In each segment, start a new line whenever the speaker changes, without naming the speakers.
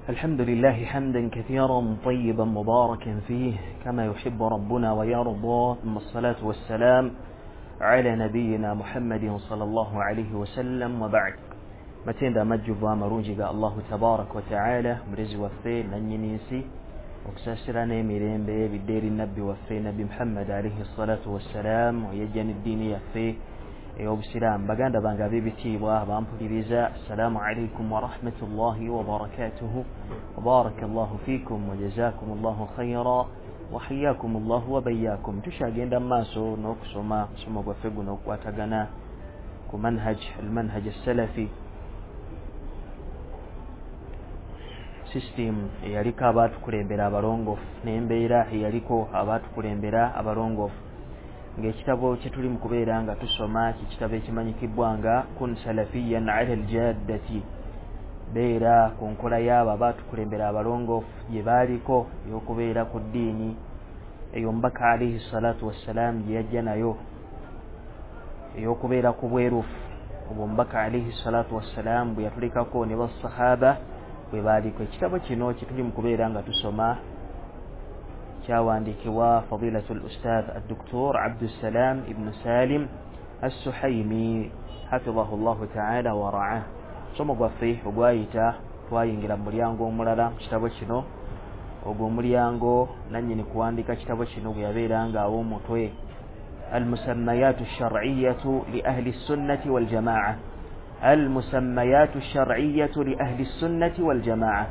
الحمد لله حمدا كثيرا طيبا مباركا فيه كما يحب ربنا ويرضى، ثم الصلاة والسلام على نبينا محمد صلى الله عليه وسلم، وبعد. Matenda amajjuvu amalungi ga Allahu tabaraka wa taala, mulezi waffe nannyini nsi, okusaasira n'emirembe bidde eri nabbi waffe Nabbi Muhammad alaihi salatu wassalam, eyajja n'eddiini yaffe ey'obusiraamu. Baganda bange ab'ebitiibwa bampuliriza, assalaamu alaikum warahmatullahi wabarakatuhu, wabaraka llahu fiikum wajazakum llahu khaira wahiyakum llahu wabayakum. Tukyagenda mu maaso n'okusoma musomo gwaffe guno okukwatagana ku manhaj almanhaj assalafi, system eyaliko abaatukulembera abalongoofu n'embeera eyaliko abaatukulembera abalongoofu. Ng'ekitabo kye tuli mu kubeera nga tusoma kikitabo ekimanyikibwa nga Kun Salafiyan ala aljaddati, beera ku nkola y'abo abaatukulembera abalongoofu gye baaliko ey'okubeera ku ddiini eyo Omubaka alaihi salatu wassalam gye yajja nayo, ey'okubeera ku bwerufu obwo Omubaka alaihi salatu wassalam bwe yatulekako ne basahaba bwe baaliko. Ekitabo kino kye tuli mu kubeera nga tusoma kyawandiikibwa fadilatu l-ustadh addoktor Abdussalam ibnu Salim Assuhaimi hafidahu llahu taala wa raah. Musomo gwaffe ogwayita twayingira mu mulyango omulala mu kitabo kino, ogwo omulyango nannyini kuwandiika kitabo kino bwe yabeera nga aw'omutwe almusammayatu shar'iyatu li ahli sunnati waljamaa, almusammayatu shar'iyatu li ahli sunnati waljamaa,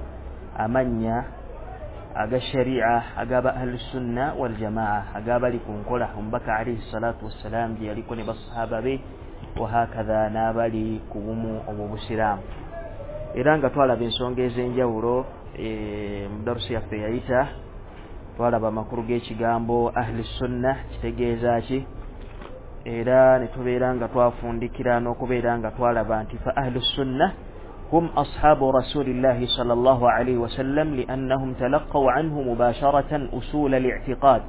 amannya aga sharia agaba ahli sunna waljamaa, agabali ku nkola Omubaka alaihi salatu wassalam gye yaliko ne basahaba be, wahakadha n'abali ku bumu obw'obusiraamu. Era nga twalaba ensonga ez'enjawulo mu darusi yaffe yayita, twalaba amakulu g'ekigambo ahli sunna kitegeeza ki, era ne tubeera nga twafundikira n'okubeera nga twalaba nti fa ahlu sunna hum ashabu rasulillahi sallallahu alayhi wasallam liannahum talaqaw anhu mubasharatan usul al-i'tiqad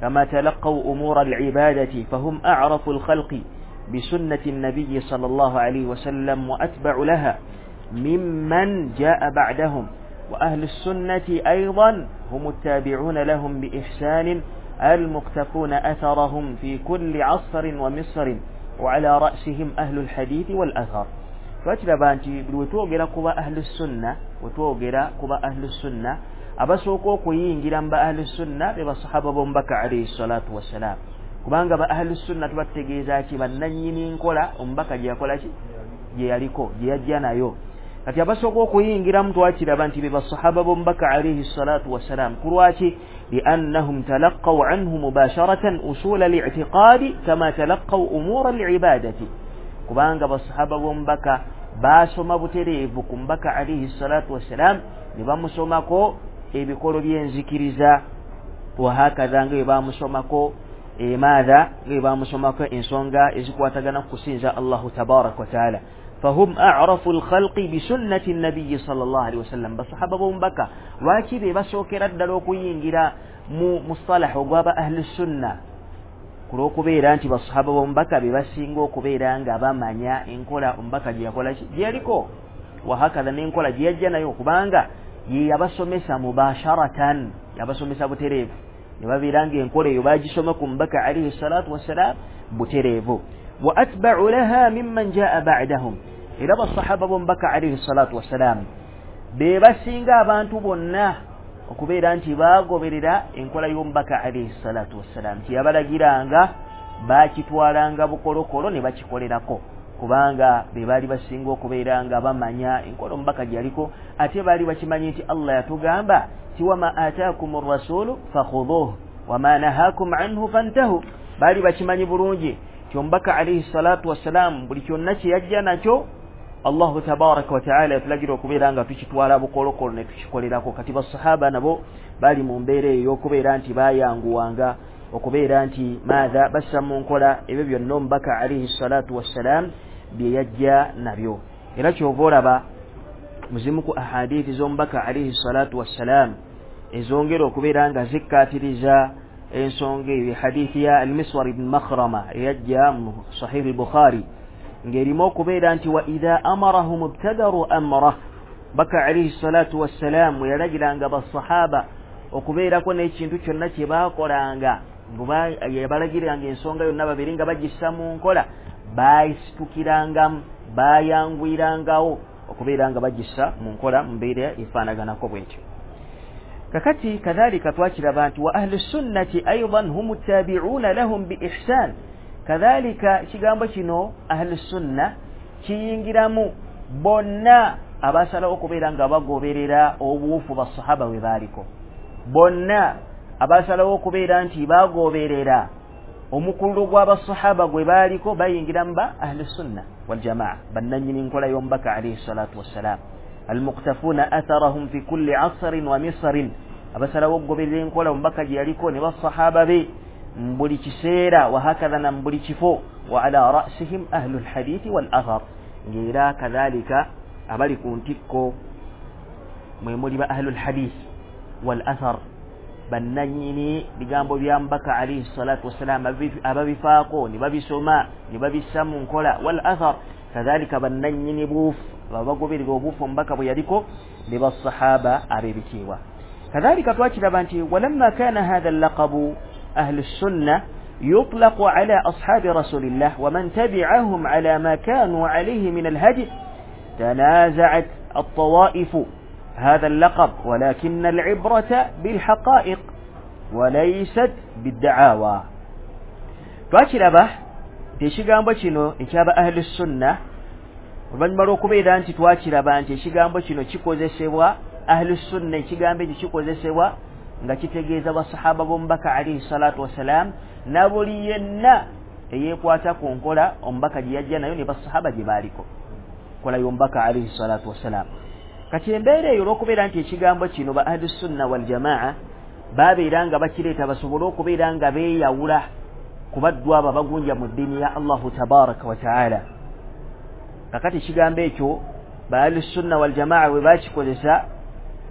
kama talaqaw umur al-ibadati fahum a'rafu al-khalqi bisunnati an-nabiy sallallahu alayhi wasallam wa atba'u laha mimman ja'a ba'dahum, wa ahlu sunnati aydan hum at-tabi'una lahum bi ihsanin المقتفون أثرهم في كل عصر ومصر وعلى رأسهم أهل الحديث والأثر. Twakiraba nti buli wetwogera kuba ahlu sunna, wetwogera kuba ahlu sunna, abasooka okuyingira mu ba ahlu sunna be basahaba b'Omubaka alaihi salatu wassalam, kubanga ba ahlu sunna tuba tutegeeza ki? Bannannyini nkola Omubaka gye yakola ki, gye yaliko, gye yajja nayo. Kati abasooka okuyingiramu twakiraba nti be basahaba b'Omubaka alaihi salatu wassalam. Ku lwaki? Liannahum talaqaw anhu mubasharatan usula al-i'tiqadi kama talaqaw umura al-ibadati, kubanga basahaba b'Omubaka baasoma butereevu ku Mubaka alaihi salatu wassalam ne bamusomako ebikolo by'enzikiriza, wahakadha nga bwe bamusomako maatha, nga bwe bamusomako ensonga ezikwatagana ku kusinza Allahu tabaraka wa taala. Fahum a'rafu al-khalqi bisunnati an-nabiy sallallahu alayhi wasallam. Basahaba b'Omubaka lwaki be basookera ddala okuyingira mu mustalah ogw'aba ahli sunna? Ku lw'okubeera nti basahaba b'Omubaka be basinga okubeera nga bamanya enkola Omubaka gye yakola ki, gye yaliko, wahakadha n'enkola gye yajja nayo, kubanga ye yabasomesa mubasharatan, yabasomesa butereevu, ne babeera ng'enkola eyo bagisoma ku Mubaka alaihi salatu wassalam butereevu. Wa atba'u laha mimman ja'a ba'dahum, era basahaba b'Omubaka alaihi salatu wassalam be basinga abantu bonna okubeera nti baagoberera enkola y'Omubaka alaihi salatu wassalam, nti yabalagiranga baakitwalanga bukolokolo ne bakikolerako, kubanga be baali basinga okubeera nga bamanya enkola Omubaka gye yaliko, ate baali bakimanyi nti Allah yatugamba ti wama ataakum rrasulu fakhudhuhu wama nahakum anhu fantahu. Baali bakimanyi bulungi nti Omubaka alaihi salatu wassalam buli kyonna kye yajja nakyo Allahu tabaraka wa taala yatulagira okubeera nga tukitwala bukolokolo ne tukikolerako. Kati basahaba nabo bali mu mbeera eyo y'okubeera nti bayanguwanga okubeera nti maatha bassa mu nkola ebyo byonna Omubaka alaihi salatu wassalam bye yajja nabyo. Era kyova olaba muzimu ku ahadithi z'Omubaka alaihi salatu wassalam ezongera okubeera nga zikkaatiriza ensonga eyo, hadithi ya Al-Miswar ibn Makhrama eyajja mu Sahih al-Bukhari, ng'erimu okubeera nti wa idha amarahum ibtadaru amrah, Baka alayhi salatu wassalam yalagiranga basahaba okubeerako n'ekintu kyonna kye baakolanga, yabalagiranga ensonga yonna babeere nga bagissa mu nkola, baayisitukirangamu, bayanguyirangawo okubeera nga bagissa mu nkola mu mbeera efaanaganako bwetyo. Kakati kadhalika twakiraba nti wa ahlu sunnati aidan hum tabi'una lahum bi ihsan. Kadhalika ekigambo kino ahlu sunna kiyingiramu bonna abasalawo okubeera nga bagoberera obuwufu basahaba bwe baaliko, bonna abasalawo okubeera nti bagoberera omukululo gw'abasahaba gwe baaliko, bayingiramu ba ahlu sunna waljamaa, bannannyini nkola y'omubaka alayhi salatu wassalam, almuqtafuna atharahum fi kulli asrin wa misrin, abasalawo okugoberera enkola omubaka gye yaliko ne basahaba be mu buli kiseera, wahakadha na mu buli kifo, wa ala rasihim ahlu lhadithi wal athar, ng'era kadhalika abali ku ntikko mwe muli ba ahlu lhadith wal athar, bannannyini bigambo bya mubaka alayhi salatu wassalam, ababifaako ne babisoma ne babissa mu nkola, wal athar kadhalika bannannyini buufu abagoberera obuufu omubaka bwe yaliko ne basahaba ab'ebitiibwa. Kadhalika twakiraba nti walamma kana hatha allaqabu ahlu sunna yutlaqu ala ashabi rasulillah wa man tabi'ahum ala ma kanu alayhi min alhadi, tanaza'at at-tawa'ifu هذا اللقب، ولكن العبرة بالحقائق وليست بالدعاوى. Twakiraba nti ekigambo kino ekyaba ahlu sunna, oluvannyuma lw'okubeera nti twakiraba nti ekigambo kino kikozesebwa ahlu sunna, ekigambo ekyo kikozesebwa nga kitegeeza basahaba b'omubaka alayhi salatu wassalam na buli yenna eyeekwata ku nkola omubaka gye yajja nayo ne basahaba gye baaliko, nkola y'omubaka alayhi salatu wassalam. Kati embeera eyo olw'okubeera nti ekigambo kino ba ahlu sunna waljamaa babeera nga bakireeta basobole okubeera nga beeyawula ku baddu abo abagunja mu ddiini ya Allahu tabaraka wa taala. Kakati ekigambo ekyo ba ahlu sunna waljamaa bwe bakikozesa,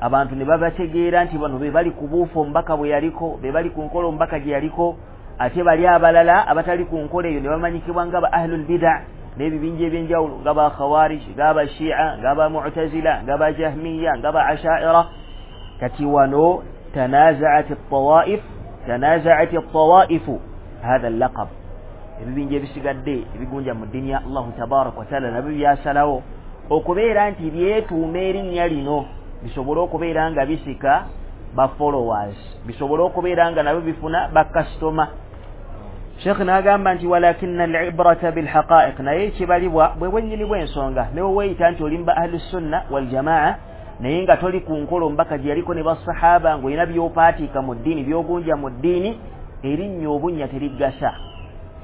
abantu ne babategeera nti bano be bali ku buufu omubaka bwe yaliko, be bali ku nkola omubaka gye yaliko, ate bali abalala abatali ku nkola eyo ne bamanyikibwa nga ba ahlul bida n'ebibinja ebyenjawulo, nga ba khawarij, nga ba shia, nga ba mu'tazila, nga ba jahmiya, nga ba ashaira. Kati wano tanazaat at-tawaif, tanazaat at-tawaifu hatha al-laqab, ebibinja ebisigadde ebigunja mu ddiini ya Allahu tabaraka wa taala nabyo byasalawo okubeera nti byetuuma erinnya lino bisobole okubeera nga bisika ba followers, bisobole okubeera nga nabyo bifuna ba customer. Sheikh n'agamba nti walakinna al-ibrata bilhaqa'iq, naye ekibalibwa bwe bwennyini bw'ensonga. Ne weeyita nti oli mu ba ahlu sunna waljamaa naye nga toli ku nkola omubaka gye yaliko ne basahaba, ng'olina by'opaatiika mu ddiini, by'ogunja mu ddiini, erinnya obunnya terigasa.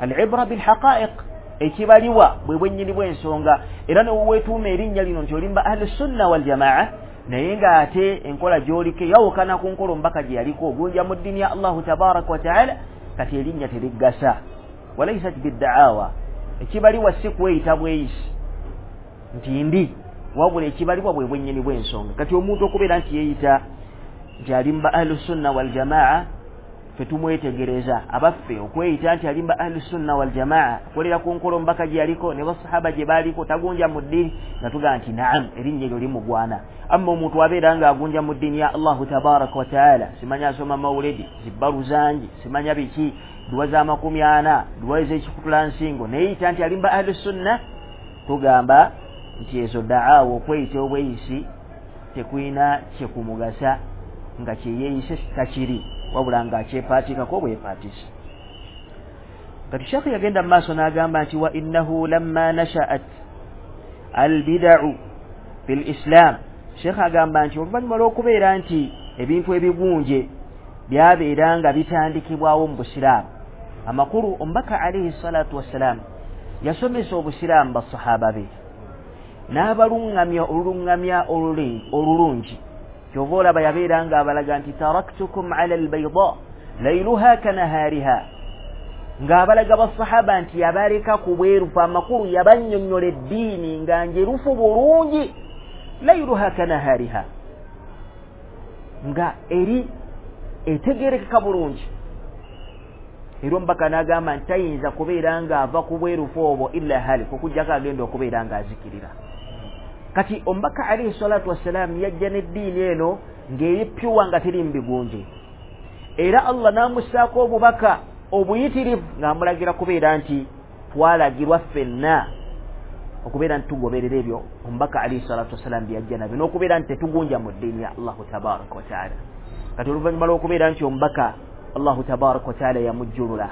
Al-ibra bilhaqa'iq, ekibalibwa bwe bwennyini bw'ensonga. Era ne weetuuma erinnya lino nti oli mu ba ahlu sunna waljamaa naye ng'ate enkola gy'oliko eyawukana ku nkola omubaka gye yaliko, ogunja mu ddiini ya Allahu tabaraka wa taala, kati erinnya terigasa. Walaysat biddaawa, ekibaliwa si kweyita bweyisi nti ndi, wabula ekibaliwa bwe bwennyini bw'ensonga. Kati omuntu okubeera nti yeeyita nti ali mu ba ahlu sunna waljamaa, ffe tumwetegereza. Abaffe okweyita nti ali mu ba ahlu sunna waljamaa, akolera ku nkola omubaka gye yaliko ne basahaba gye baaliko, tagunja mu ddiini, nga tugamba nti naam, erinnya eryo limugwana. Amma omuntu abeera ng'agunja mu ddiini ya Allahu tabaraka wa taala, simanya asoma mawuledi, zibbalu zangi, simanya biki, duwa za 40, duwa ez'ekikutulansingo, neyeyita nti ali mu ba ahlu sunna, tugamba nti ezo daawa, okweyita obweyisi tekulina kyekumugasa, nga kyeyeeyise takiri, wabula ng'akyepaatikako bwepaatisi. Kati Sheikh yagenda mu maaso n'agamba nti wa innahu lamma nasha'at albida'u fil islam. Sheikh agamba nti oluvannyuma lw'okubeera nti ebintu ebigunje byabeera nga bitandikibwawo mu busiraamu, amakulu omubaka alayhi salatu wassalam yasomesa obusiraamu basahaba be n'abaluŋŋamya oluluŋŋamya olulungi. Kyova olaba yabeera nga abalaga nti taraktukum ala albayda layluha kanahariha, ng'abalaga basahaba nti yabaleka ku bwerufu, amakulu yabannyonnyola eddiini nga njerufu bulungi, layluha kanahariha, nga eri etegerekeka bulungi. Era omubaka n'agamba nti tayinza kubeera ng'ava ku bwerufu obwo illa halik, okuggyako agenda okubeera ng'azikirira. Kati omubaka alaihi salatu wassalaamu yajja n'eddiini eno ng'eri pyuwa, nga teri mu bigunje, era Allah n'amussaako obubaka obuyitirivu ng'amulagira kubeera nti twalagirwa ffenna okubeera nti tugoberera ebyo omubaka alaihi salatu wassalaamu bye yajja nabyo, n'okubeera nti tetugunja mu ddiini ya Allahu tabaraka wataala. Kati oluvannyuma lw'okubeera nti omubaka Allahu tabaraka wataala yamujjulula,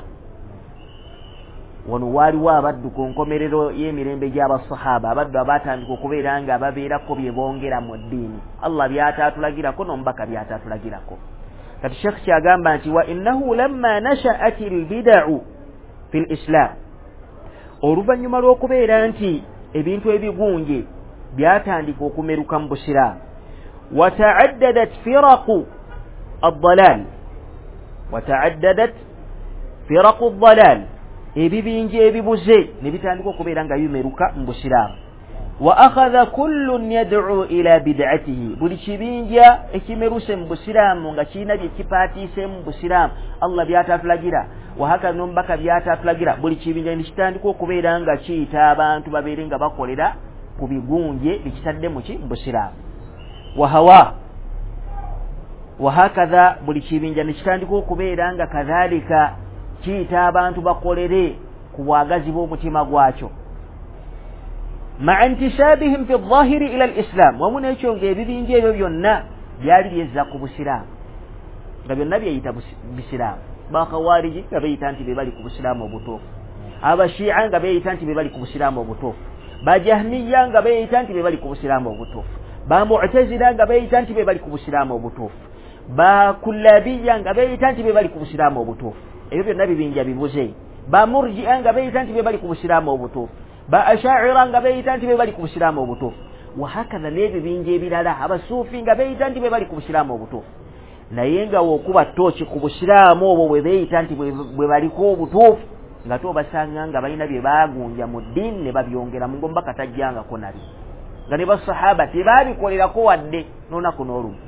wano waaliwo abaddu ku nkomerero y'emirembe gy'abasahaba, abaddu abaatandika okubeera nga babeerako bye bongera mu ddiini Allah by'ataatulagirako n'omubaka by'ataatulagirako. Kati Sheekh kyagamba nti wa innahu lamma nashaat albidau fi lislam, oluvannyuma lw'okubeera nti ebintu ebigunje byatandika okumeruka mu busiraamu, wataaddadat firaqu addalal, wataaddadat firaqu addalal, ebibinja ebibuze ne bitandika okubeera nga bimeruka mu busiraamu. Wa akhadha kullun yad'u ila bid'atihi, buli kibinja ekimeruse mu busiraamu nga kirina bye kipaatiise mu busiraamu Allah by'ataatulagira, wahaka n'omubaka by'ataatulagira, buli kibinja ne kitandika okubeera nga kiyita abantu babeere nga bakolera ku bigunje bikitadde mu ki? Mu busiraamu. Wahawa wahakadha, buli kibinja ne kitandika okubeera nga kadhalika kiyita abantu bakolere ku bwagazi bw'omutima gwakyo. Ma'a intisabihim fi dhahiri ila alislam, wamu n'ekyo ng'ebibinja ebyo byonna byali byezza ku busiraamu, nga byonna byeyita bisiraamu. Bakhawariji nga beeyita nti be bali ku busiraamu obutuufu, abashiia nga beeyita nti be bali ku busiraamu obutuufu, bajahmiya nga beeyita nti be bali ku busiraamu obutuufu, bamu'tazila nga beeyita nti be bali ku busiraamu obutuufu, bakullabiya nga beeyita nti be bali ku busiraamu obutuufu. Ebyo byonna bibinja bibuze. Bamurji'a nga beeyita nti be bali ku busiraamu obutuufu, ba ashaira nga beeyita nti be bali ku busiraamu obutuufu, wahakadha n'ebibinja ebirala, abasuufi nga beeyita nti be bali ku busiraamu obutuufu. Naye nga wokuba ttooki ku busiraamu obwo bwe beeyita nti bwe baliko obutuufu, nga tobasanga nga balina bye baagunja mu ddiini ne babyongeramu, ng'omubaka tajjangako nabyo, nga ne basahaba tebaabikolerako wadde n'olunaku n'olumu.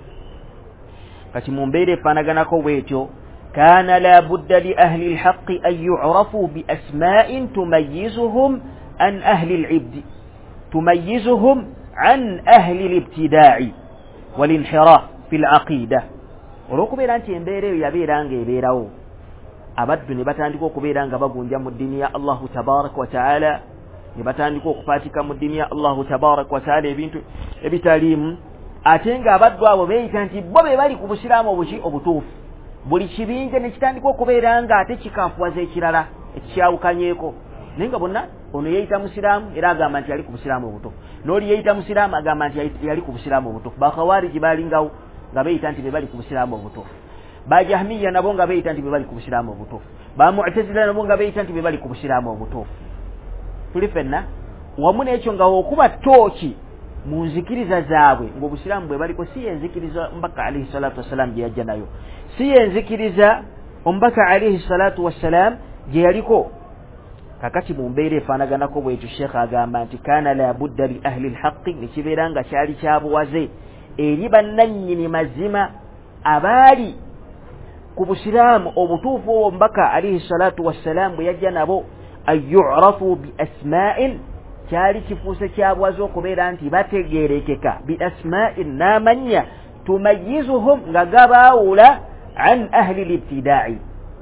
Kati mu mbeera efaanaganako bw'etyo, kaana la budda li ahli lhaqi an yurafu bi asma'in tumayizuhum an ahli libdi, tumayizuhum an ahli libtidaai walinhiraf fi laqida. Olw'okubeera nti embeera eyo yabeera nga ebeerawo, abaddu ne batandika okubeera nga bagunja mu ddiini ya Allahu tabaraka wataala, ne batandika okupaatika mu ddiini ya Allahu tabaraka wataala ebintu ebitaliimu, ate ng'abaddu abo beeyita nti bo be bali ku busiraamu obuki? Obutuufu. Buli kibinja ne kitandika okubeera nga ate kikafuwaza ekirala ekikyawukanyeeko, naye nga bonna ono yeeyita musiraamu era agamba nti yali ku busiraamu obutuufu, n'oli yeeyita musiraamu agamba nti yali ku busiraamu obutuufu. Bakhawariji baalingawo nga beeyita nti be bali ku busiraamu obutuufu, bajahmiya nabo nga beeyita nti be bali ku busiraamu obutuufu, bamu'tazila nabo nga beeyita nti be bali ku busiraamu obutuufu. Tuli ffenna wamu n'ekyo nga okuba ttooki mu nzikiriza zaabwe ng'obusiraamu bwe baliko si yenzikiriza omubaka alaihi salatu wassalaamu gye yajja nayo, si yenzikiriza omubaka alaihi salatu wassalaamu gye yaliko. Kakati mu mbeera efaanaganako bwetyo, Sheekh agamba nti kaana la budda li ahli lhaqi, ne kibeera nga kyali kyabuwaze eri bannannyini mazima abaali ku busiraamu obutuufu obwo omubaka alaihi salatu wassalaamu bwe yajja nabo, an yurafu bi asma'in, kyali kifuuse kyabwaze okubeera nti bategeerekeka, bi asma'in, n'amannya, tumayizuhum, nga gabaawula, an ahli libtidaai,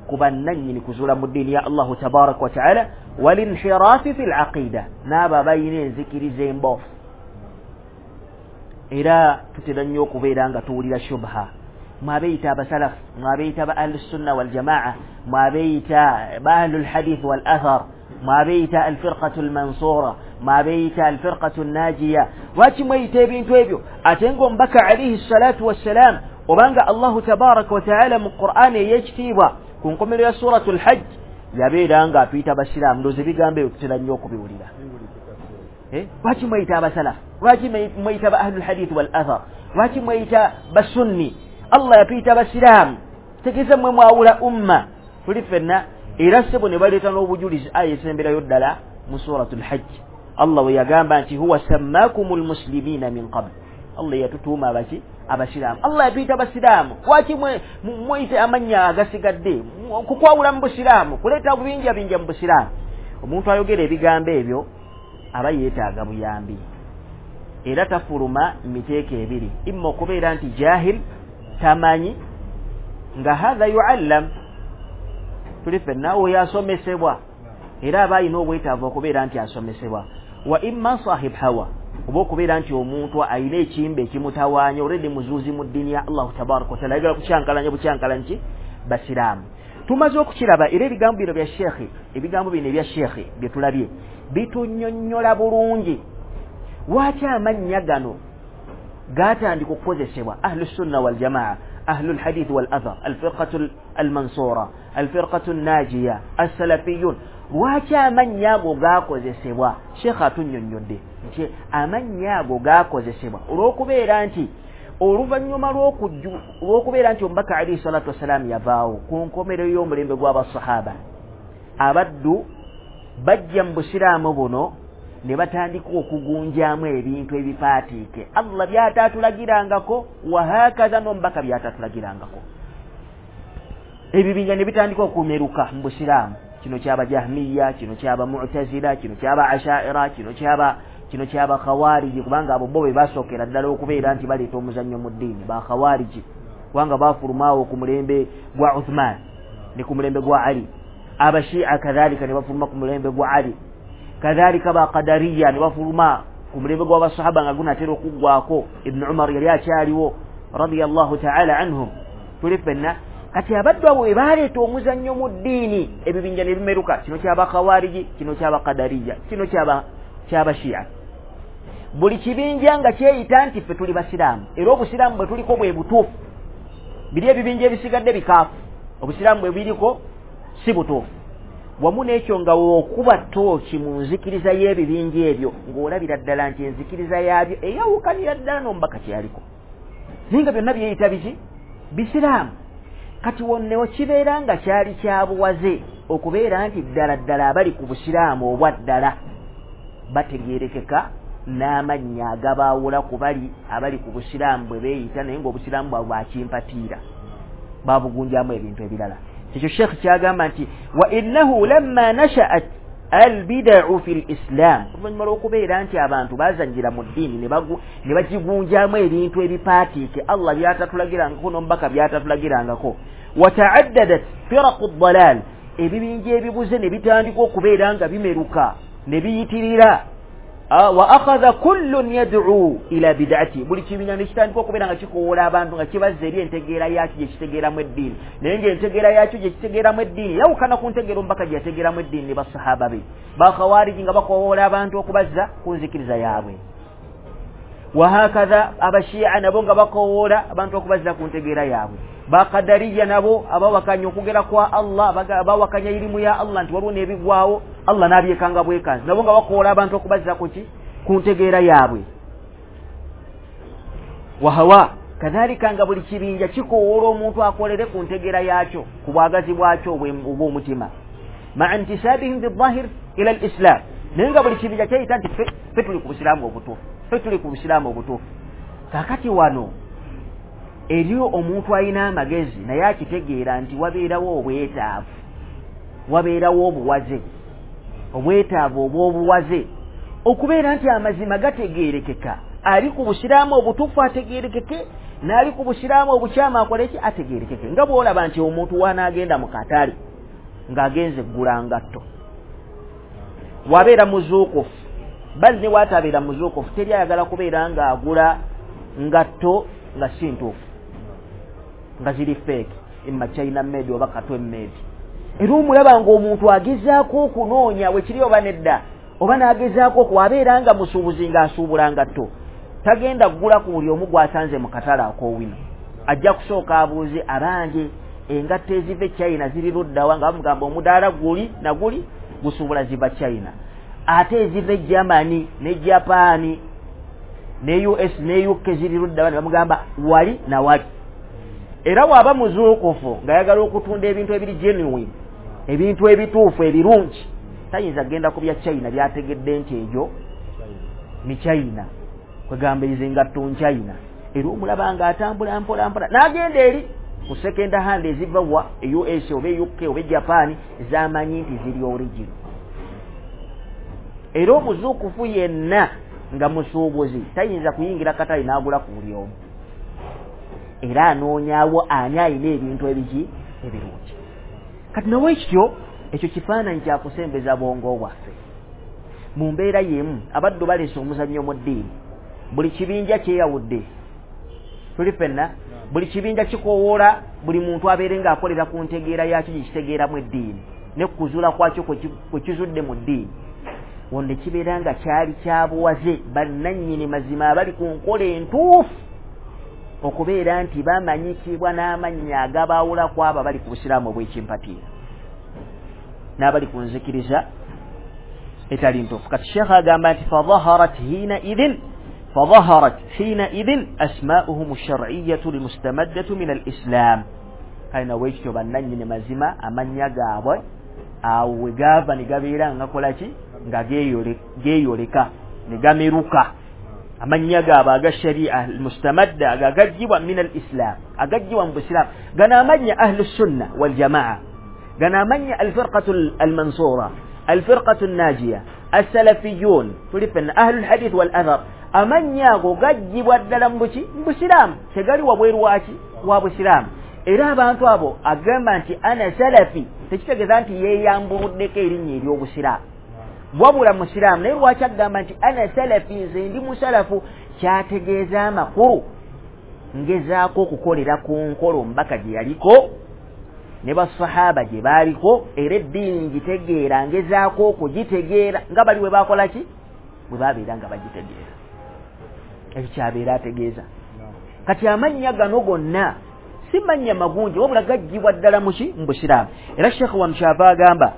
ku bannannyini kuzuula mu ddiini ya Allahu tabaraka wataala, walinhiraafi fi laqida, n'abo abalina enzikiriza emboofu. Era tutera nnyo okubeera nga tuwulira shubha, mwabeeyita abasalafu, mwabeeyita ba ahlusunna waljamaa, mwabeeyita ba ahlulhadith wal athar, mwabeeyita alfirqatu almansura, mwabeeyita alfirqatu najiya. Lwaki mweyita ebintu ebyo ate ng'omubaka alaihi salatu wassalam, obanga Allahu tabaraka wataala mu Qur'ani ey'ekitiibwa ku nkomerero ya suratu lhajj yabeera nga atuyita basiraamu? Ndowooza ebigambo ebyo tutera nnyo okubiwulira. Lwaki mweyita abasalafu? Lwaki mweyita ba ahlulhadith wal athar? Lwaki mweyita basunni? Allah yatuyita basiraamu, tegeeza mmwe mwawula umma. Tuli ffenna era ssebo ne baleeta n'obujulizi aya esemberayo ddala mu suratu lhajj, Allah we yagamba nti huwa sammakum lmuslimina min qabl, Allah yatutuuma abaki? Abasiraamu. Allah yatuyita basiraamu, lwaki mweyite amannya agasigadde kukwawula mu busiraamu, kuleeta bubinjabinja mu busiraamu? Omuntu ayogera ebigambo ebyo aba yeetaaga buyambi. Era tafuluma miteeko ebiri, imma okubeera nti jahil, tamanyi, nga hatha yuallam, tuli ffenna, oyo asomesebwa era aba alina obwetaavu okubeera nti asomesebwa. Wa imma sahib hawa, oba okubeera nti omuntu alina ekimba ekimutawaanya, already muzuuzi mu ddiini ya Allahu tabaraka wataala, ayagala kukyankalanya bukyankalanyi ki basiraamu. Tumaze okukiraba era ebigambo bino bya sheekhe, ebigambo bino ebya sheekhe bye tulabye bitunnyonnyola bulungi lwaki amannya gano gatandika okukozesebwa ahlu sunna wal jamaa, ahlu lhadith wal athar, alfirqatu almansura, alfirqatu najiya, assalafiyun. Lwaki amannya ago gakozesebwa? Sheekhe atunnyonnyodde nti amannya ago gakozesebwa olw'okubeera nti oluvannyuma lw'okubeera nti omubaka alaihi salatu wassalaamu yavaawo ku nkomerero y'omulembe gw'abasahaba, abaddu bajja mu busiraamu buno ne batandika okugunjaamu ebintu ebipaatiike Allah by'ataatulagirangako, wahakaza n'omubaka by'ataatulagirangako. Ebibinja ne bitandika okumeruka mu busiraamu. Kino kyaba jahmiya, kino kyaba mu'tazila, kino kyaba ashaira, kino kyaba khawariji, kubanga abo bo be basookera ddala okubeera nti baleeta omuzannyo mu ddiini, ba khawariji, kubanga baafulumaawo ku mulembe gwa Uthman ne ku mulembe gwa Ali. Abashia kadhalika ne bafuluma ku mulembe gwa Ali, kadhalika ba qadariya ne bafuluma ku mulembe gw'abasahaba nga gunaatera okuggwako, Ibn Umar yali akyaliwo radiyallahu ta'ala anhum. Tuli ffenna. Kati abaddu abo bwe baleeta omuzannyo mu ddiini, ebibinja ne bimeruka, kino kyaba khawariji, kino kyaba qadariya, kino kyaba shia. Buli kibinja nga kyeyita nti ffe tuli basiraamu, era obusiraamu bwe tuliko bwe butuufu. Biri ebibinja ebisigadde bikaafu, obusiraamu bwe biriko si butuufu. Wamu n'ekyo nga okuba ttooki mu nzikiriza y'ebibinja ebyo, ng'olabira ddala nti enzikiriza yaabyo eyawukanira ddala n'omubaka kye yaliko, naye nga byonna byeyita biki? Bisiraamu. Kati wonnewo kibeera nga kyali kya buwaze okubeera nti ddala ddala abali ku busiraamu obwa ddala bategeerekeka n'amannya agabaawula ku bali abali ku busiraamu bwe beeyita, naye ng'obusiraamu bwabwe bwakimpatiira, babugunjamu ebintu ebirala. Ekyo sheekh kyagamba nti wa innahu lamma nashaat albidau fi lislam, oluvannyuma lw'okubeera nti abantu bazannyira mu ddiini ne bagigunjamu ebintu ebipaatiike Allah byatatulagirangako n'omubaka byatatulagirangako, wataaddadat firaqu ddalal, ebibinja ebibuze ne bitandika okubeera nga bimeruka ne biyitirira, wa akhadha kullun yad'u ila bid'ati, buli kibinja ne kitandika okubeera nga kikowoola abantu nga kibazza eri entegeera yakyo gye kitegeeramu eddiini, naye ng'entegeera yakyo gye kitegeeramu eddiini yawukana ku ntegeera omubaka gye yategeeramu eddiini ne basahaba be. Bakhawariji nga bakowoola abantu okubazza ku nzikiriza yaabwe, wahakadha abashia nabo nga bakowoola abantu okubazza ku ntegeera yaabwe, bakadariya nabo abawakanya okugera kwa Allah, abawakanya irimu ya Allah nti waliwo n'ebigwawo Allah n'abyekanga bwekanzi, nabo nga bakowoola abantu okubazza ku ki? Ku ntegeera yaabwe. Wahawa kadhalika nga buli kibinja kikowoola omuntu akolere ku ntegeera yaakyo, ku bwagazi bwakyo obw'omutima, maa intisabihim bidhahir ila alislam, naye nga buli kibinja kyeyita nti ffe tuli ku busiraamu obutuufu, ffe tuli ku busiraamu obutuufu. Kaakati wano eriyo omuntu alina amagezi naye akitegeera nti wabeerawo obwetaavu, wabeerawo obuwaze, obwetaavu obw'obuwaze okubeera nti amazima gategeerekeka, ali ku busiraamu obutuufu ategeerekeke, n'ali ku busiraamu obukyamu akole ki? Ategeerekeke. Nga bw'olaba nti omuntu wanaagenda mu katale ng'agenze eggula ngatto, wabeera muzuukufu, bali ne waatabeera muzuukufu, teri ayagala kubeera ng'agula ngatto nga si ntuufu, nga ziri fake, imma China made oba katwe made. Era omulaba ng'omuntu agezaako okunoonya wekiri oba nedda, oba n'agezaako okuwabeera nga musuubuzi ng'asuubula ngatto, tagenda kugula ku buli omu gw'asanze mu katale ak'owino. Ajja kusooka abuuze abange engatto eziva e China ziri luddawa, nga bamugamba omudaala guli na guli gusuubula ziva China, ate eziva e Germany ne Japan ne US ne UK ziri luddawa, ne bamugamba wali na wali. Era waba muzuukufu ng'ayagala okutunda ebintu ebiri genuine, ebintu ebituufu ebirungi, tayinza kugenda ku bya China byategedde nti egyo ni China, kwegamba ezo engatto China. Era omulaba ng'atambula mpola mpola n'agenda eri ku second hand eziva wa e US oba e UK oba e Japan z'amanyi nti ziri original. Era omuzuukufu yenna nga musuubuzi tayinza kuyingira katale n'agula ku buli omu, era anoonyaawo ani alina ebintu ebiki ebirungi. Kati nowekityo ekyo kifaananyi kyakusembeza bwongo bwaffe. Mu mbeera y'emu abaddu baleese omuzannyo mu ddiini, buli kibinja kyeyawudde, tuli ffenna, buli kibinja kikowoola buli muntu abeere ng'akolera ku ntegeera yakyo gye kitegeeramu eddiini ne kuzuula kwakyo kwe kizudde mu ddiini. Wonde kibeera nga kyali kyabuwaze bannannyini mazima abali ku nkola entuufu okubeera nti bamanyikibwa n'amannya agabaawula ku abo abali ku busiraamu obw'ekimpatiira n'abali ku nzikiriza etali ntuufu. Kati Sheekh agamba nti fadhaharat hiina idhin asmaa'uhum ash-shar'iyyatu al-mustamaddatu min al-islam. Kale nawekityo bannannyini mazima amannya gaabwe awo we gaava ne gabeera nga gakola ki, nga geeyoleka ne gameruka. Amannya gaabwe aga sharia al-mustamadda agaggyibwa min al-islam, agaggyibwa mu busiraamu. Gano amannya ahlu sunna wal jamaa, gano amannya al-firqatu al-mansura, al-firqatu an-najiya, as-salafiyun, tuli ffenna ahlu al-hadith wal athar. Amannya ago gaggyibwa ddala mu buki, mu busiraamu, tegali wabweru waki wa busiraamu. Era abantu abo agamba nti ana salafi tekitegeeza nti yeeyambuluddeko erinnya ery'obusiraamu, wabula musiraamu. Naye lwaki agamba nti ana salafi, nze ndi musalafu? Kyategeeza amakulu ngezaako okukolera ku nkola omubaka gye yaliko ne basahaba gye baaliko, era eddiini ngitegeera, ngezaako okugitegeera nga bali bwe baakola ki, bwe babeera nga bagitegeera. Ekyo kyabeera ategeeza. Kati amannya gano gonna si mannya magunje, wabula gaggyibwa ddala muki, mu busiraamu. Era Sheekh Wamukyava agamba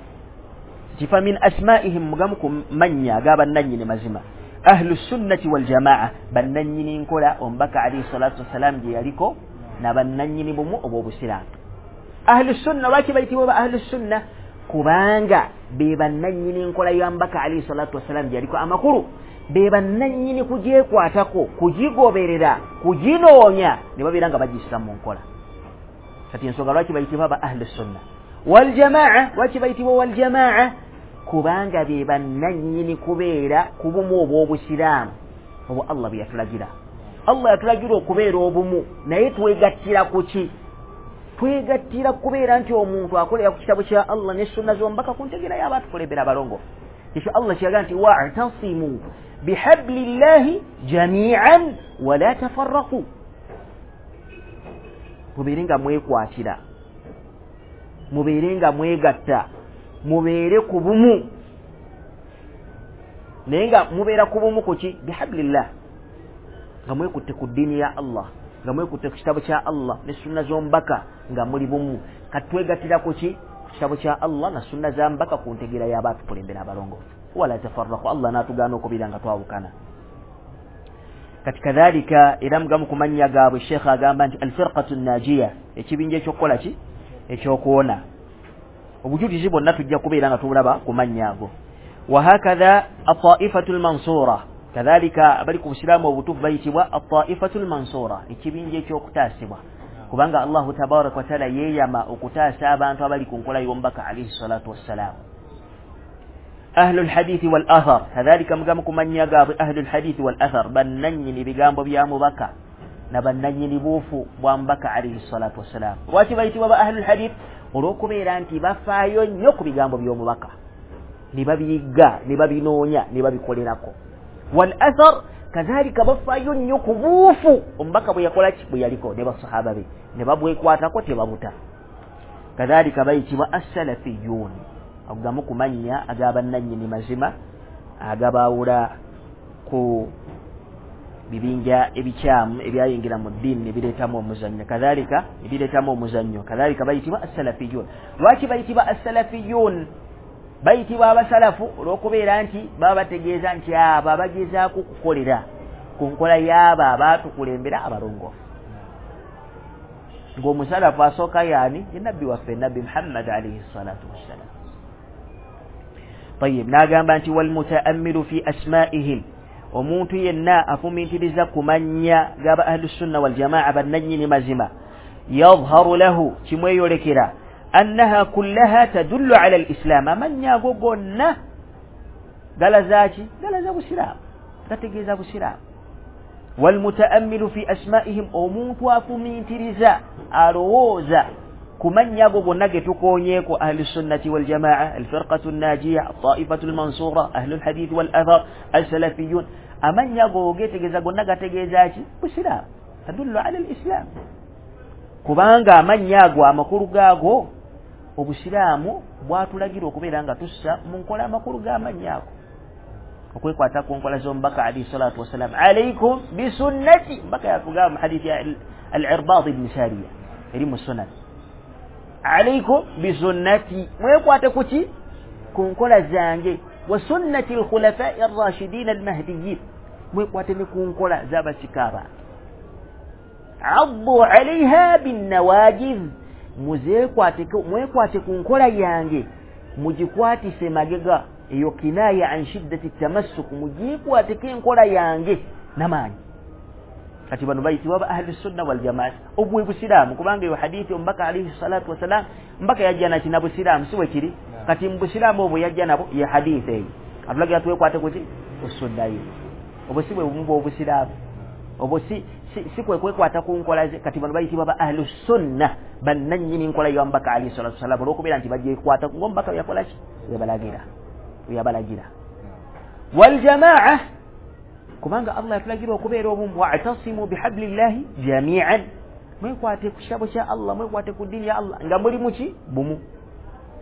nti fa min asmaa'ihim, mugamu ku mannya ag'abannannyini mazima ahlu sunnati wal jamaa, bannannyini nkola omubaka alayhi salatu wassalam gye yaliko na bannannyini bumu obw'obusiraamu. Ahlu sunna lwaki bayitibwa ba ahlu sunna? Kubanga be bannannyini nkola ya mubaka alayhi salatu wassalam gye yaliko. Amakulu be bannannyini kugyekwatako, kugigoberera, kuginoonya ne babeera nga bagissa mu nkola. Kati ensonga lwaki bayitibwa ba ahlu sunna wal jamaa, lwaki bayitibwa wal jamaa? Kubanga be bannannyini kubeera ku bumu obw'obusiraamu obwo Allah bwe yatulagira. Allah yatulagira okubeera obumu, naye twegattira ku ki? Twegattira kubeera nti omuntu akolera ku kitabo kya Allah ne sunna z'omubaka ku ntegeera y'abaatukulembera abalongoofu. Ekyo Allah kyeyagamba nti wa'tasimu bihablillahi jamii'an wala tafarraqu, mubeere nga mwekwatira, mubeere nga mwegatta, mubeere ku bumu. Naye nga mubeera ku bumu ku ki? Bihablillah, nga mwekutte ku ddiini ya Allah, nga mwekutte ku kitabo kya Allah ne sunna z'omubaka, nga muli bumu. Kati twegattira ku ki? Ku kitabo kya Allah na sunna za mubaka ku ntegeera y'abaatukulembera abalongoofu. Wala tafarraqu, Allah n'atugaana okubeera nga twawukana. Kati kadhalika era mugamu ku mannya gaabwe Sheekh agamba nti alfirqatu nnajiya, ekibinja ekyokukola ki, ekyokuwona. Obujulizi bwonna tujja kubeera nga tubulaba ku mannya ago. Wahakadha ataifatu lmansura, kadhalika abali ku busiraamu obutuufu bayitibwa ataifatu lmansura, ekibinja ekyokutaasibwa, kubanga Allahu tabaraka wataala yeeyama okutaasa abantu abali ku nkola y'omubaka alayhi salatu wassalaamu. Ahlu lhadithi wal athar, kadhalika mugamu ku mannya gaabwe ahlu lhadithi wal athar, bannannyini bigambo bya mubaka na bannannyini buufu bwa mubaka alayhi salatu wassalaamu. Lwaki bayitibwa ba ahlu lhadith? Olw'okubeera nti bafaayo nnyo ku bigambo by'omubaka ne babiyigga ne babinoonya ne babikolerako. Wal athar, kadhalika bafaayo nnyo ku buufu omubaka bwe yakola ki, bwe yaliko ne basahaba be ne babwekwatako tebabuta. Kadhalika bayitibwa assalafiyun, agamu ku mannya ag'abannannyini mazima agabaawula ku bibinja ebikyamu ebyayingira mu ddiini ne bireetamu omuzannyo. Kadhalika ebireetamu omuzannyo, kadhalika bayitibwa assalafiyun. Lwaki bayitibwa assalafiyun? Bayitibwa abasalafu olw'okubeera nti baba bategeeza nti abo abagezaako okukolera ku nkola y'abo abaatukulembera abalongoofu. Ng'omusalafu asooka yaani? Ye nabbi waffe nabbi Muhammad alayhi salatu wassalam. Tayyib, n'agamba nti walmutaammilu fi asmaa'ihim, omuntu yenna afumintiriza ku mannya g'aba ahlusunna waljamaa bannannyini mazima, yadharu lahu, kimweyolekera annaha kullaha tadullu ala alislam, amannya ago gonna galaza ki? Galaza busiraamu. Gategeeza busiraamu. Walmutaammilu fi asmaihim, omuntu afumintiriza alowooza ku mannya ago gonna ge tukoonyeeko, ahlu sunnati waljamaa, alfirqatu nnajiya, altaifatu almansura, ahlu lhadithi wal athar, alsalafiyun, amannya ago getegeeza gonna gategeeza ki? Busiraamu. Tadullu ala lislam, kubanga amannya ago amakulu gaago obusiraamu bwatulagira okubeera nga tussa mu nkola amakulu g'amannya ago, okwekwata ku nkola z'omubaka alayhi salatu wassalam. Alaikum bisunnati, mbaka yatugamba mu hadithi ya al-Irbad ibn Sariya eri mu sunan, alaikum bisunnati, mwekwate kuki? Ku nkola zange, wa sunnati al-khulafai ar-rashidin al-mahdiyyin, mwekwate ne ku nkola z'abasika bange, addu alaiha binnawajiz, mwekwate ku nkola yange mugikwatise magega. Eyo kinaya an shiddati tamassuk, mugikwateko enkola yange namaanyi. Kati bano bayitibwa ba ahlu sunna wal jamaa, obwe busiraamu, kubanga eyo hadithi omubaka alayhi salatu wassalam mbaka yajja nakina busiraamu, si wekiri? Kati mu busiraamu obwo yajja nabo ye hadithi eyo atulagira twekwate kuki? Kusunna ye. Obwo si bwe bumu bw'obusiraamu, obwo si kwe kwekwata ku nkola ze. Kati bano bayitibwa ba ahlu sunna, bannannyini nkola ya mubaka alayhi salatu wassalam, olw'okubeera nti bagyekwata ng'omubaka yakola ki? Yabalagira, yabalagira. Waljamaa, kubanga Allah yatulagira okubeera obumu, wa'tasimu bihablillahi jami'an, mwekwate ku kitabo kya Allah, mwekwate ku ddiini ya Allah nga muli muki? Bumu.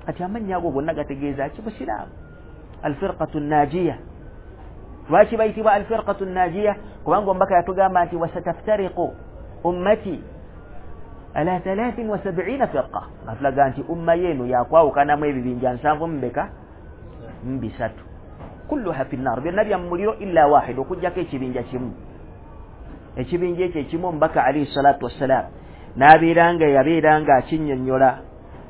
Kati amannya ago gonna gategeeza ki? Busiraamu. Alfirqatu nnajiya, lwaki bayitibwa alfirqatu nnajiya? Kubanga omubaka yatugamba nti wasataftariqu ummati ala 73 firqa, atulaga nti umma yenu yakwawukanamu ebibinja 73, kulluha fi nnar, byonna bya muliro illa wahid, okujjako ekibinja kimu. Ekibinja ekyo ekimu omubaka alayhi salatu wassalam n'abeera nga yabeera nga akinnyonnyola,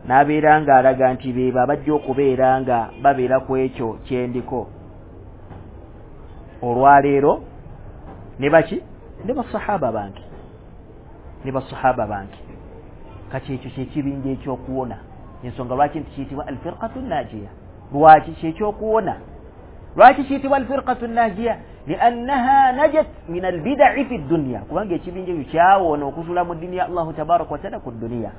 n'abeera nga alaga nti beebo abajja okubeera nga babeera ku ekyo kyendiko olwaleero ne baki? Ne basahaba bange, ne basahaba bange. Kati ekyo kyekibinja ekyokuwona. Ensonga lwaki nti kiyitibwa alfirqatu nnajiya? Lwaki kyekyokuwona? Lwaki kiyitibwa alfirqatu nnajiya? Liannaha najat min albidai fi dunya, kubanga ekibinja ekyo kyawona okuzula mu ddiini ya Allahu tabaraka wataala ku duniya.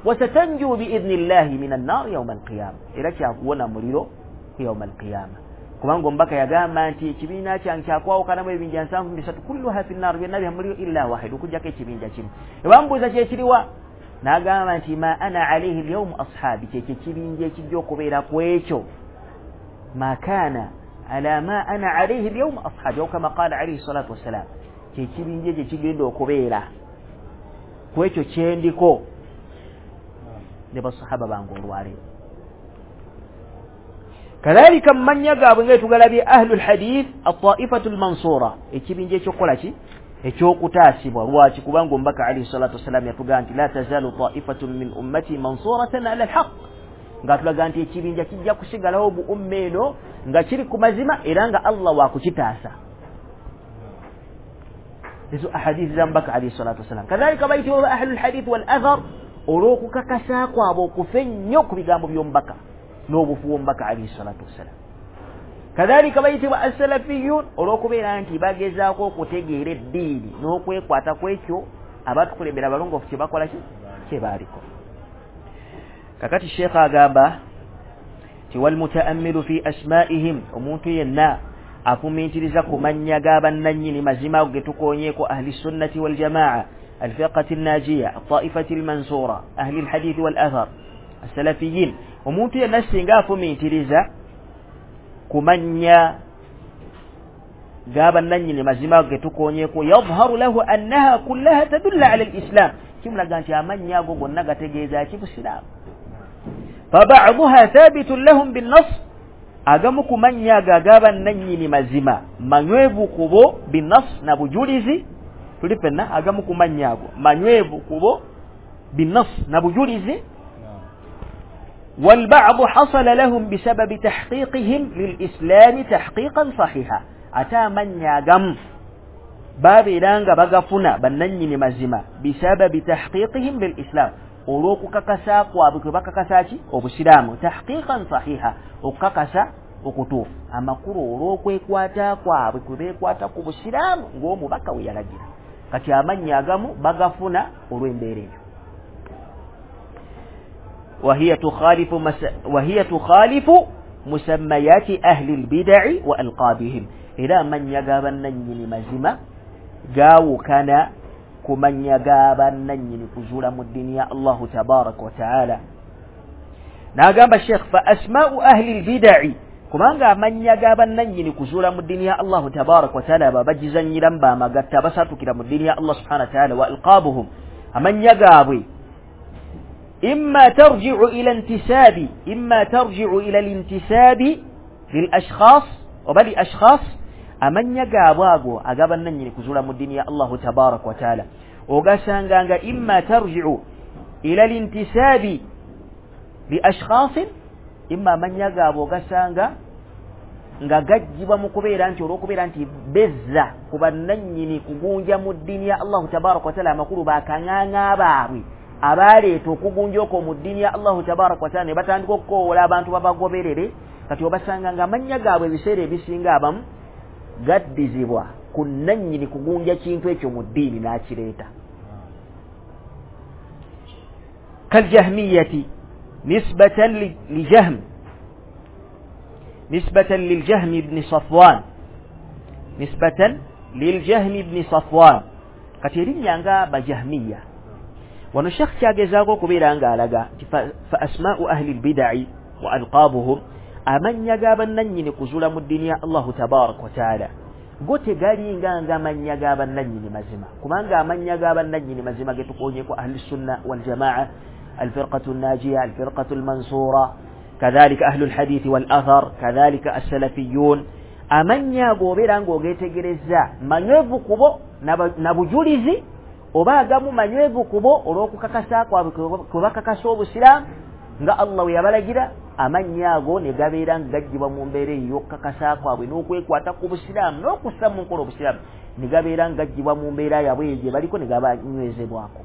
Wasatanju biidhni llahi min annar yauma alqiyama, era kyakuwona muliro ku yauma alqiyama, kubanga omubaka yagamba nti ekibiina kyange kyakwawukanamu ebibinja 73, kulluha fi nnar, byonna bya muliro illa wahid, okujjako ekibinja kimu. Ebambuuza kyekiriwa? N'agamba nti ma ana alaihi lyaumu ashabi, kyekyo ekibinja ekijja okubeera ku ekyo, ma kaana ala ma ana alaihi lyaumu ashabi, au kama qala alaihi salatu wassalam, kyekibinja ekyo ekigenda okubeera ku ekyo kyendiko ne basahaba bange olwaleero. Kadhalika mu mannya gaabwe nga tugalabye ahlu lhadith altaifatu lmansura, ekibinja ekyokukola ki? Ekyokutaasibwa. Lwaki? Kubanga omubaka alayhi salatu wassalam yatugamba nti la tazalu taifatun min ummati mansuratan ala alhaq, ng'atulaga nti ekibinja kijja kusigalawo mu umma eno nga kiri ku mazima era nga Allah wakukitaasa. Ezo ahadithi za mubaka alayhi salatu wassalam. Kadhalika bayitibwa ahlu lhadith wal athar olw'okukakasa kwabwe okufa ennyo ku bigambo by'omubaka n'obufu bw'omubaka alayhi salatu wassalam. Kadhalika bayitibwa assalafiyun olw'okubeera nti bagezaako okutegeera eddiini n'okwekwata ku ekyo abatukulembera abalongoofu kye bakola ki? Kye baaliko. Kakati sheekha agamba ti walmutaammilu fi asmaihim, omuntu yenna afumintiriza ku mannya g'abannannyini mazima ago ge tukoonyeeko, ahli sunnati waljamaa, alfirqati nnajiya, altaifati almansura, ahli lhadithi wal athar, assalafiyin, omuntu yenna singa afumintiriza ku mannya g'abannannyini mazima ago ge tukoonyeeko, yadharu lahu annaha kullaha tadulla ala lislam, kimulaga nti amannya ago gonna gategeeza ki? Busiraamu. Fabaduha thabitun lahum binnas, agamu ku mannya ago ag'abannannyini mazima manywevu kubo binnas, na bujulizi. Tuli ffenna agamu ku mannya ago manywevu kubo binnas, na bujulizi. والبعض حصل لهم بسبب تحقيقهم للإسلام تحقيقا صحيحا، ate amannya agamu babeera nga bagafuna bannannyini mazima bisababi tahqiqihim lilislam, olw'okukakasa kwabwe kwe bakakasa ki? Obusiraamu. Tahqiqan sahiha, okukakasa Okutuufu. Amakulu olw'okwekwata kwabwe kwe beekwata ku busiraamu ng'omubaka we yalagira. Kati amannya agamu bagafuna olw'embeera eyo. Wahiya tukhalifu musammayati ahli lbidai wa alqabihim, era amannya g'abannannyini mazima gaawukana ku mannya g'abannannyini kuzuula mu ddiini ya Allahu tabaraka wa taala. N'agamba Sheikh fa asma'u ahli lbidai, kubanga amannya g'abannannyini kuzuula mu ddiini ya Allahu tabaraka wa taala ababagizannyiramu bamagatta abasatukira mu ddiini ya Allah subhanahu wa taala, wa alqabuhum, amannya gaabwe imma tarji'u ila intisabi, imma tarji'u ila lintisabi lil ashkhas oba li ashkhas, amannya gaabwe ago ag'abannannyini kuzuula mu ddiini ya Allahu tabaraka wa taala ogasanga nga imma tarji'u ila lintisabi li ashkhasin, imma amannya gaabwe ogasanga nga gajjibwa mu kubeera nti olw'okubeera nti bezza ku bannannyini kugunja mu ddiini ya Allahu tabaraka wa taala, amakulu bakaŋŋaŋa baabwe abaleeta okugunja okwo mu ddiini ya Allahu tabaraka wa taala ne batandika okukowoola abantu babagoberere. Kati obasanga nga amannya gaabwe ebiseera ebisinga abamu gaddizibwa ku nnannyini kugunja kintu ekyo mu ddiini n'akireeta. Kaljahmiyati nisbatan lijahm, nisbatan liljahmi ibni Safwan, nisbatan liljahmi ibni Safwan. Kati erinnya nga bajahmiya, wano Sheikh kyagezaako okubeera ng'alaga nti fa asma'u ahli lbidai wa alqabuhum, amannya g'abannannyini kuzuula mu ddiini ya Allahu tabaraka wa taala go tegalinga nga amannya g'abannannyini mazima, kubanga amannya g'abannannyini mazima ge tukoonyeko ahli sunna waljamaa, alfirqatu nnajiya, alfirqatu almansura, kadhalika ahlu lhadithi wal athar, kadhalika assalafiyun. Amannya ago obeera ng'ogeetegereza manywevu kubo na bujulizi, oba agamu manywevu kubo olw'okukakasa kwabwe kwe bakakasa obusiraamu nga Allah we yabalagira, amannya ago ne gabeera nga gajjibwa mu mbeera eyo y'okukakasa kwabwe n'okwekwata ku busiraamu n'okussa mu nkola obusiraamu, ne gabeera nga gajjibwa mu mbeera yaabwe eyo gye baliko ne gabanywezebwako.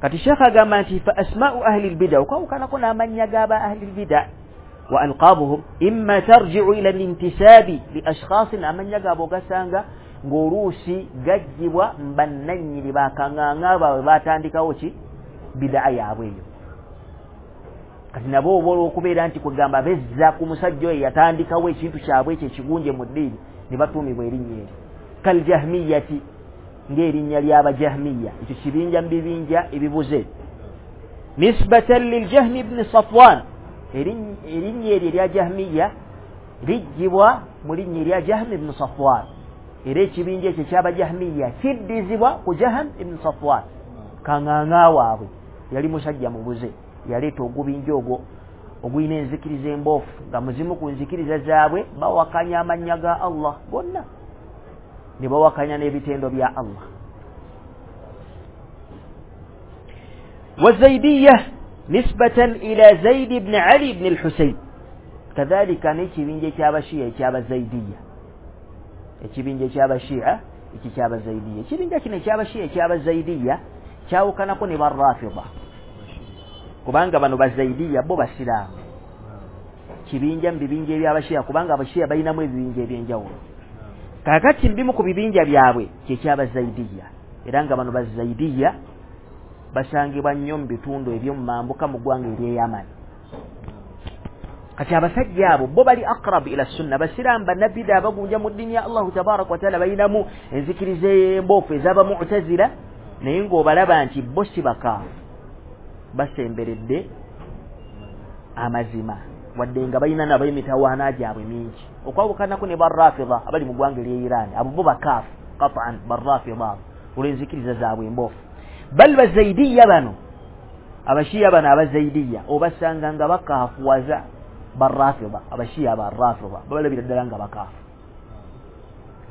Kati Sheikh agamba nti fa asma'u ahli lbida, okwawukanako n'amannya g'aba ahli lbida wa alqabuhum imma tarji'u ila lintisabi li ashkhasin, amannya gaabwe ogasanga ng'oluusi gajjibwa bannannyini bakaŋŋaŋa baabwe batandikawo ki bidaa yaabwe eyo. Kati nabo oba olw'okubeera nti kwegamba bezza ku musajja oyo yatandikawo ekintu kyabwe ekyo ekigunje mu ddiini ne batuumibwa erinnya eryo. Kaljahmiyati, ng'erinnya ly'abajahmiya, ekyo kibinja mu bibinja ebibuze. Nisbatan liljahmi ibni Safwan, erinnya eryo erya jahmiya lijjibwa mu linnya erya Jahmi ibni Safwan, era ekibinja ekyo eky'abajahmiya kiddizibwa ku Jahm ibni Safwan, kaŋŋaŋa waabwe yali musajja mubuze, yaleeta ogubinja ogwo ogulina enzikiriza emboofu, nga muzimu ku nzikiriza zaabwe bawakanya amannya ga Allah gonna ne bawakanya n'ebitendo bya Allah. Wazaidiya nisbatan ila Zaid ibn Ali ibn al-Husayn, kadhalika n'ekibinja eky'abashiya eky'abazaidiya, ekibinja eky'abashiya ekyo ky'abazaidiya. Ekibinja kino eky'abashiya eky'abazaidiya kyawukanako ne barrafida, kubanga bano bazaidiya bo basiraamu, kibinja mu bibinja eby'abashiya, kubanga abashiya balinamu ebibinja eby'enjawulo. Kaakati mbimu ku bibinja byabwe kyeky'abazaidiya, era nga bano bazaidiya basangibwa nnyo mu bitundu eby'omu mambuka mu ggwanga ery'e Yamani. Kati abasajja abo bo bali aqrab ila sunna, basiraamu bannabida abagunja mu ddiini ya Allahu tabaraka wa taala, balinamu enzikiriza emboofu ez'abamu'tazila, naye ng'obalaba nti bo si bakaafu, basemberedde amazima, wadde nga balina nabo emitawaana gyabwe mingi, okwawukanako ne barrafida abali mu ggwanga ery'e Iran. Abo bo bakaafu qat'an, barrafida olw'enzikiriza zaabwe emboofu. Bal bazaidiya bano abashiya bano abazaidiya obasanga nga bakaafuwaza barrafida, abashiya barrafida babalabira ddala nga bakaafu,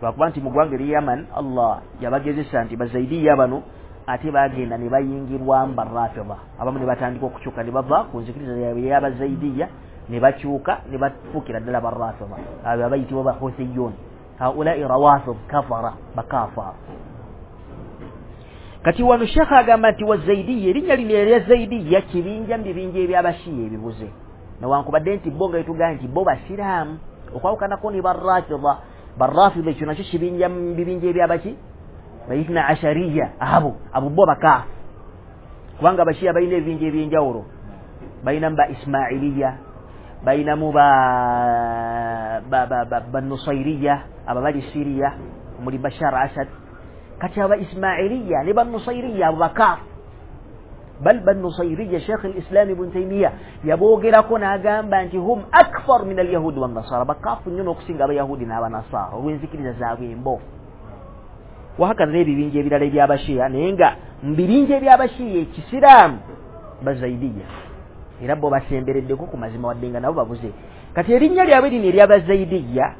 lwakuba nti mu ggwanga ery'e Yaman Allah yabagezesa nti bazaidiya bano ate bagenda ne bayingirwamu barrafida, abamu ne batandika okukyuka ne bava ku nzikiriza yaabwe ey'abazaidiya ne bakyuka ne bafuukira ddala barrafida, abo abayitibwa bahuthiyun, haulai rawafid kafara, bakafaara. Kati wano Sheikh agamba nti wazaidiya, erinnya lino erya zaidiya kibinja mu bibinja eby'abashiya ebibuze, newankubadde nti bo nga etugamba nti bo basiraamu, Okwawukanako ne Barrafida. Barrafida ekyo nakyo kibinja mu bibinja ebyabaki Baithna Ashariya. Abo bo bakaafu, kubanga Abashiya balina ebibinja ebyenjawulo. Balinamu ba Ismailiya, balinamu ba Nusairiya, abo bali Siriya omuli Bashar Asad. Kati aba Ismailiya ne ba Nusairiya abo bakaafu. Bal Bannusairiya Sheikh al-Islam Ibn Taymiyyah yaboogerako n'agamba nti hum akfar min al-yahudi wan-nasara, bakaafu nnyo n'okusinga Abayahudi n'Abanasara olw'enzikiriza zaabwe emboofu. Wahakaza n'ebibinja ebirala eby'Abashiya, naye nga mu bibinja eby'Abashiya ekisiraamu Bazaidiya era bo basembereddeko ku mazima, wadde nga nabo babuze. Kati erinnya lyabwe lino ery'Abazaidiya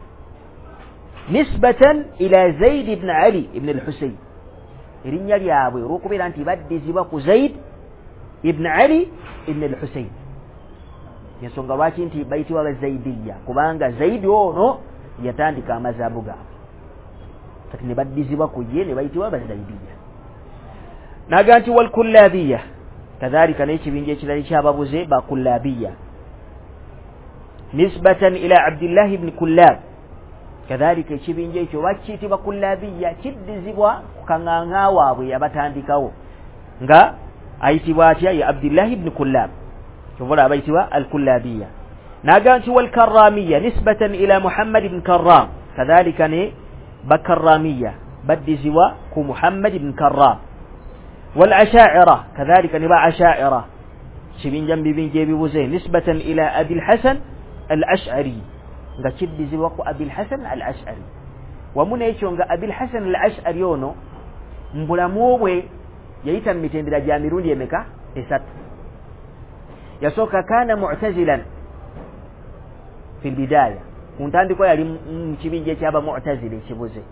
nisbatan ila Zaid ibn Ali ibn al-Husayn, erinnya lyabwe olw'okubeera nti baddizibwa ku Zaid ibn Ali ibn al-Husayn. Ensonga lwaki nti bayitibwa Bazaidiya, kubanga Zaidi ono yatandika amazaabu gaabwe, kati ne baddizibwa ku ye ne bayitibwa Bazaidiya. Naga nti walkullabiya, kadhalika n'ekibinja ekirala ekyababuze Bakullabiya nisbatan ila Abdillah ibn Kullab. Kadhalika ekibinja ekyo bakiyitibwa Kullabiya, kiddizibwa ku kaŋŋaŋa waabwe yabatandikawo nga ayitibwa atya? Ye Abdillah ibn Kullab, kyova abayitibwa Al-Kullabiya. Naga nti walkarramiya nisbatan ila Muhammad ibn Karram, kadhalika ne Bakarramiya baddizibwa ku Muhammad ibn Karram. Wal-Asha'ira, kadhalika ne ba Asha'ira kibinja mu bibinja ebibuze nisbatan ila Abil Hasan Al-Ash'ari, nga kiddizibwa ku Abil Hasan Al-Ash'ari. Wamu n'ekyo nga Abil Hasan Al-Ash'ari ono mu bulamu bwe yayita mu mitendera gya mirundi emeka? Esatu. Yasooka kana mu'tazilan fi lbidaya, ku ntandikwa yali mu kibinja ekyaba Mu'tazila ekibuze,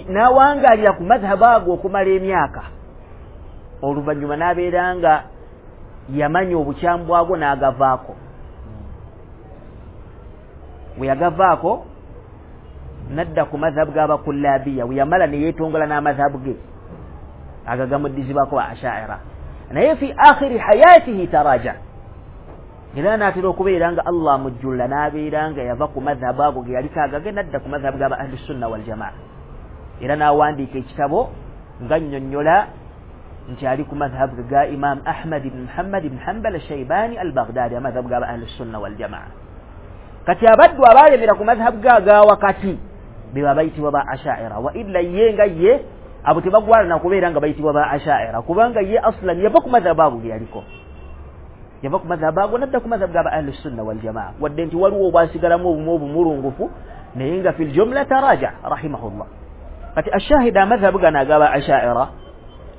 n'awangaalira ku madhhabu ago okumala emyaka. Oluvannyuma n'abeera nga yamanya obukyamu bwagwo n'agavaako. Bwe yagavaako nadda ku madhhabu g'Abakullabiya, bwe yamala ne yeetongola n'amadhhabu ge ago gamuddizibwako ba Ashaira. Naye fi akhiri hayatihi taraja, era n'atera okubeera nga Allah amujjulula n'abeera nga yava ku madhhabu ago ge yaliko agage nadda ku madhhabu g'aba Ahlusunna waljamaa. Era n'awandiika ekitabo nga nnyonnyola nti ali ku madhhabu ga Imam Ahmad ibn Muhammad ibn Hanbal Shaybani al-Baghdadi, amadhhabu g'aba Ahlusunna waljamaa. Kati abaddu abaalemera ku madhhabu ga aga wakati be babayitibwa ba Ashaira. Wa illa ye nga ye abo tebagwana na kubeera nga bayitibwa ba Ashaira, kubanga ye aslan yava ku madhhabu ago ge yaliko, yava ku madhhabu ago nadda ku madhhabu g'aba Ahlusunna waljamaa. Wadde nti waliwo obwasigalamu obumu obumulungufu, naye nga fil jumla taraja rahimahullah. Kati ashahida amadhhabu gano ag'aba Ashaira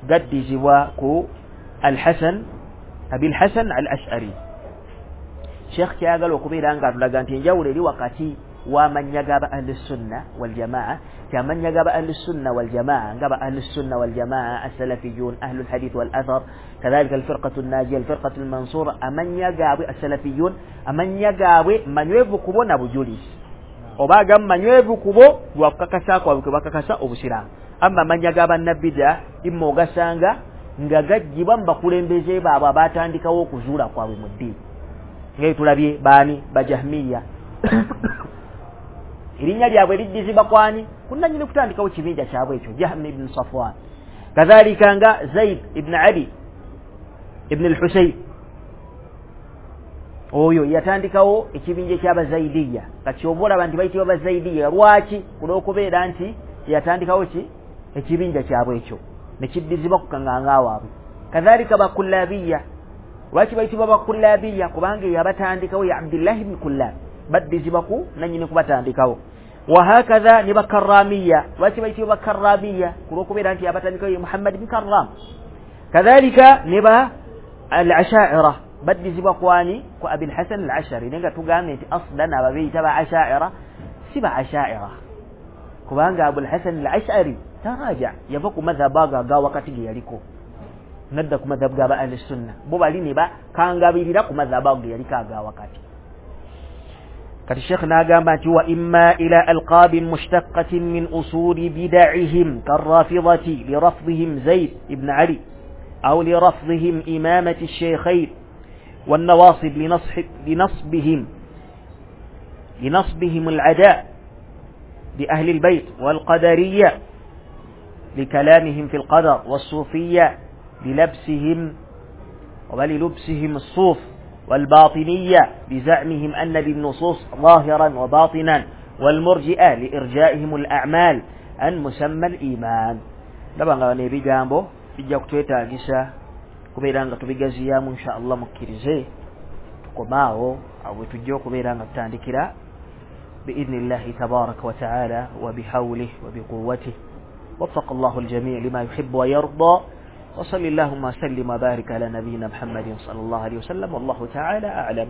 gaddizibwa ku Al-Hasan, Abil Hasan Al-Ash'ari. Sheikh kyayagala okubeera nga atulaga nti enjawulo eri wakati w'amannya g'aba Ahlusunna waljamaa, ti amannya g'aba Ahlusunna waljamaa nga ba Ahlusunna waljamaa Assalafiyun, Ahlul Hadith wal Athar, kadhalika Alfirqatu Nnajiya, Alfirqatu Almansura, amannya gaabwe Assalafiyun, amannya gaabwe manywevu kubo na bujulizi, oba agamu manywevu kubo lwakukakasa kwabwe kwe bakakasa Obusiraamu. Amma amannya g'abannabida imma ogasanga nga gaggyibwa mu bakulembeze baabwe abaatandikawo okuzuula kwabwe mu ddiini, nga tulabye baani? Bajahmiya. Erinnya lyabwe liddizibwa kwani? Kunnannyini kutandikawo kibinja kyabwe ekyo, Jahm ibn Safwan. Kadhalika nga Zaid ibn Ali ibn al-Husayn, oyo yatandikawo ekibinja eky'Abazaidiya. Kati oba olaba nti bayitibwa Bazaidiya lwaki? Kulw'okubeera nti yatandikawo ki? Ekibinja kyabwe ekyo ne kiddizibwa ku kaŋŋaŋa waabwe. Kadhalika Bakullabiya, lwaki bayitibwa Bakullabiya? Kubanga yabatandikawo ya Abdillah ibn Kullab, baddizibwa ku nannyini kubatandikawo. Wahakadha ne Bakarramiya, lwaki bayitibwa Bakarramiya? Kulw'okubeera nti yabatandikawo ye Muhammad ibn Karram. Kadhalika ne ba Al-Ashaira, baddizibwa kwani? Ku Abil Hasan Al-Ash'ari. Naye nga tugambye nti aslan abo beeyita ba Ashaira si ba Ashaira, kubanga Abul Hasan Al-Ash'ari taraja, yava ku madhhabu ago aga wakati ge yaliko nadda ku madhhabu g'aba Ahlusunna. Bo bali ne bakangabirira ku madhhabu ago ge yaliko aga wakati. Kati Sheikh n'agamba nti wa imma ila alqabin mushtaqatin min usuli bida'ihim karrafidati lirafdihim Zaid ibn Ali aw lirafdihim imamati ash-shaykhayn والنواصب لنصبهم لنصبهم العداء بأهل البيت، والقدرية لكلامهم في القدر، والصوفية بلبسهم وللبسهم الصوف، والباطنية بزعمهم أن للنصوص ظاهرا وباطنا، والمرجئة لإرجائهم الأعمال عن مسمى الإيمان. Ndaba nga bano ebigambo bijja kutwetaagisa kubeera nga tubigaziyaamu insha Allah. Mukkirize tukomaawo awo tujja okubeera nga tutandikira بإذن الله تبارك وتعالى وبحوله وبقوته. وفق الله الجميع لما يحب ويرضى، وصل اللهم وسلم وبارك على نبينا محمد صلى الله عليه وسلم، والله تعالى أعلم.